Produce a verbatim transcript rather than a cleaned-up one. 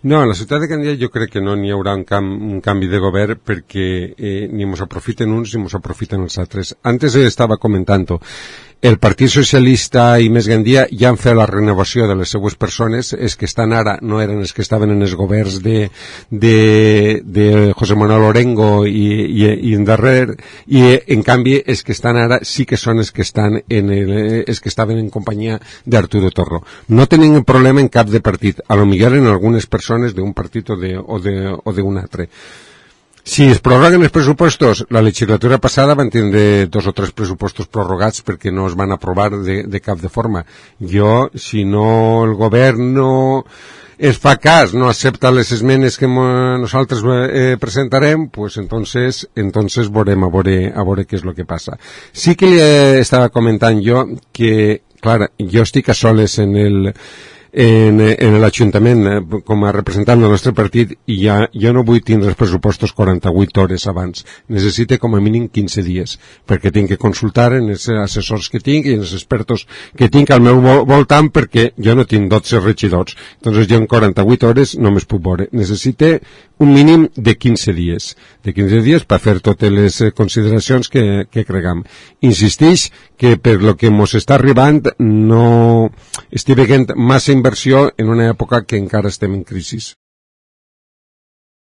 No, en la ciutat de Gandia jo crec que no n'hi haurà un, cam, un canvi de govern perquè eh, ni mos aprofiten uns ni mos aprofiten els altres. Antes estava comentant-ho. El Partit Socialista i Més Gandia ja han fet la renovació de les seues persones, els que estan ara no eren els que estaven en els governs de, de, de José Manuel Orengo i, i, i en darrer, i en canvi els que estan ara sí que són els que estan en el, els que estaven en companyia d'Arturo Torro. No tenen problema en cap de partit, a lo millor en algunes persones d'un partit o de, o de, o d'un altre. Si es prorroguen els pressupostos, la legislatura passada van tindre dos o tres pressupostos prorrogats perquè no es van aprovar de, de cap de forma. Jo, si no el govern no es fa cas, no accepta les esmenes que nosaltres eh, presentarem, pues entonces, entonces veurem a veure, a veure què és el que passa. Sí que li estava comentant jo que, clar, jo estic a soles en el en, en l'Ajuntament com a representant del nostre partit i ja, jo no vull tindre els pressupostos quaranta-vuit hores abans, necessite com a mínim quinze dies, perquè tinc que consultar en els assessors que tinc i en els expertos que tinc al meu voltant, perquè jo no tinc dotze regidors, doncs jo en quaranta-vuit hores no me'ls puc veure, necessite un mínim de quinze dies, de quinze dies per fer totes les consideracions que, que cregam. Insistix que per lo que mos està arribant no estic veient massa inversió en una època que encara estem en crisi.